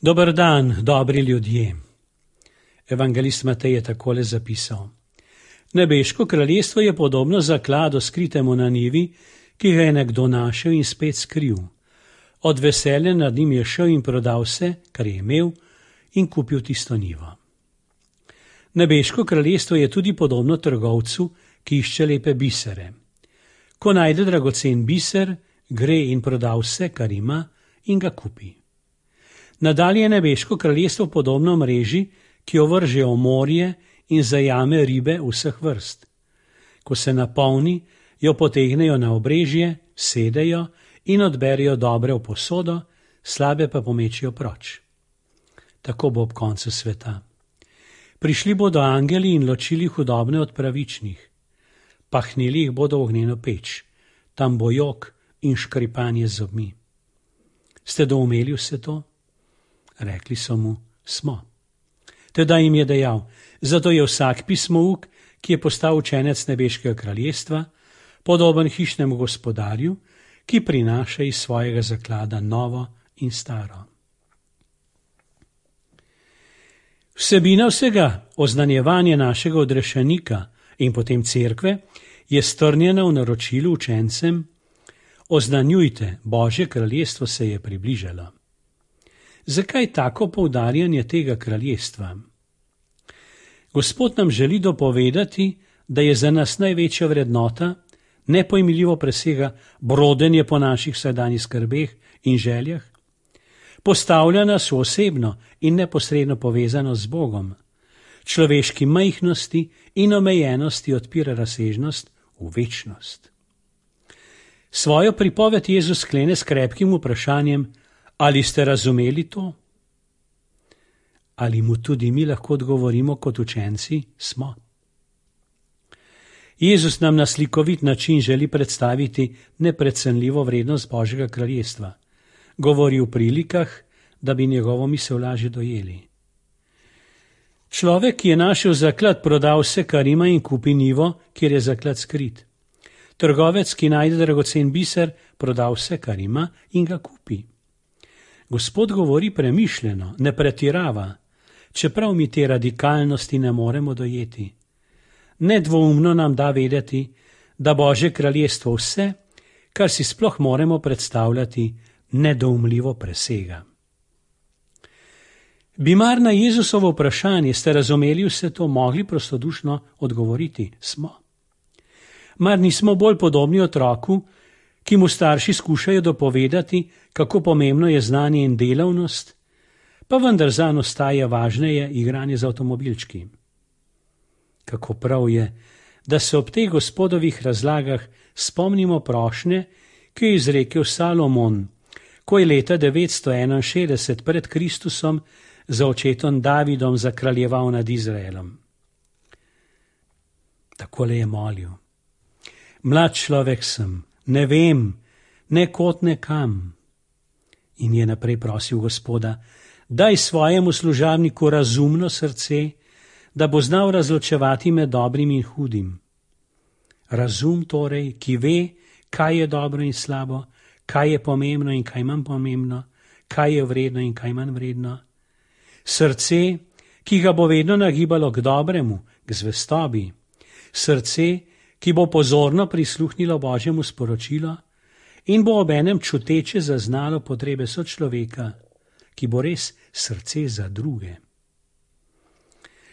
Dober dan, dobri ljudje. Evangelist Matej je takole zapisal. Nebeško kraljestvo je podobno zakladu skritemu na njivi, ki ga je nekdo našel in spet skril. Od veselja nad njim je šel in prodal vse, kar je imel, in kupil tisto njivo. Nebeško kraljestvo je tudi podobno trgovcu, ki išče lepe bisere. Ko najde dragocen biser, gre in proda vse, kar ima, in ga kupi. Nadalje je nebeško kraljestvo podobno mreži, ki jo vrže v morje in zajame ribe vseh vrst. Ko se napolni, jo potegnejo na obrežje, sedejo in odberejo dobre v posodo, slabe pa pomečijo proč. Tako bo ob koncu sveta. Prišli bodo angeli in ločili hudobne od pravičnih. Pahnili jih bodo v ognjeno peč. Tam bo jok in škripanje z zobmi. Ste doumeli vse to? Rekli so mu, smo. Teda jim je dejal, zato je vsak pismouk, ki je postal učenec nebeškega kraljestva, podoben hišnemu gospodarju, ki prinaša iz svojega zaklada novo in staro. Vsebina vsega, oznanjevanje našega odrešenika in potem cerkve, je strnjena v naročilu učencem: oznanjujte, Božje kraljestvo se je približalo. Zakaj tako poudarjanje tega kraljestva? Gospod nam želi dopovedati, da je za nas največja vrednota, nepojmljivo presega brodenje po naših vsakdanjih skrbeh in željah, postavlja nas v osebno in neposredno povezanost z Bogom, človeški majhnosti in omejenosti odpira razsežnost v večnost. Svojo pripoved Jezus sklene s krepkim vprašanjem: ali ste razumeli to? Ali mu tudi mi lahko odgovorimo kot učenci? Smo. Jezus nam na slikovit način želi predstaviti neprecenljivo vrednost Božjega kraljestva. Govori v prilikah, da bi njegovo misel lažje dojeli. Človek, ki je našel zaklad, proda vse, kar ima, in kupi njivo, kjer je zaklad skrit. Trgovec, ki najde dragocen biser, proda vse, kar ima, in ga kupi. Gospod govori premišljeno, ne pretirava, čeprav mi te radikalnosti ne moremo dojeti. Nedvoumno nam da vedeti, da Božje kraljestvo vse, kar si sploh moremo predstavljati, nedoumljivo presega. Bi mar na Jezusovo vprašanje, ste razumeli vse to, mogli prostodušno odgovoriti? Smo. Mar nismo bolj podobni otroku, ki mu starši skušajo dopovedati, kako pomembno je znanje in delavnost, pa vendar zanj ostaja važneje igranje z avtomobilčki. Kako prav je, da se ob teh Gospodovih razlagah spomnimo prošnje, ki je izrekel Salomon, ko je leta 961 pred Kristusom za očetom Davidom zakraljeval nad Izraelom. Takole je molil: mlad človek sem, ne vem, ne kot ne kam. In je naprej prosil Gospoda: daj svojemu služabniku razumno srce, da bo znal razločevati med dobrim in hudim. Razum torej, ki ve, kaj je dobro in slabo, kaj je pomembno in kaj manj pomembno, kaj je vredno in kaj manj vredno. Srce, ki ga bo vedno nagibalo k dobremu, k zvestobi. Srce, ki bo pozorno prisluhnilo Božjemu sporočilu in bo obenem čuteče zaznalo potrebe sočloveka, ki bo res srce za druge.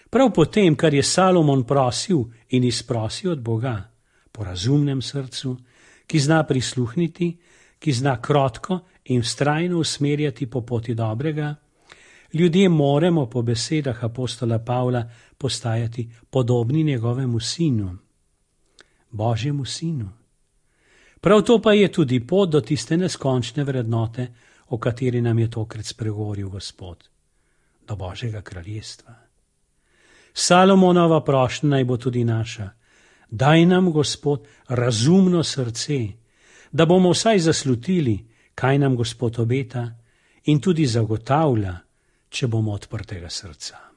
Prav potem, kar je Salomon prosil in izprosil od Boga, po razumnem srcu, ki zna prisluhniti, ki zna krotko in vztrajno usmerjati po poti dobrega, ljudje moramo po besedah apostola Pavla postajati podobni njegovemu sinu, Božjemu sinu. Prav to pa je tudi pot do tiste neskončne vrednote, o kateri nam je tokrat spregovoril Gospod, do Božjega kraljestva. Salomonova prošnja naj bo tudi naša: daj nam, Gospod, razumno srce, da bomo vsaj zaslutili, kaj nam Gospod obeta in tudi zagotavlja, če bomo odprtega srca.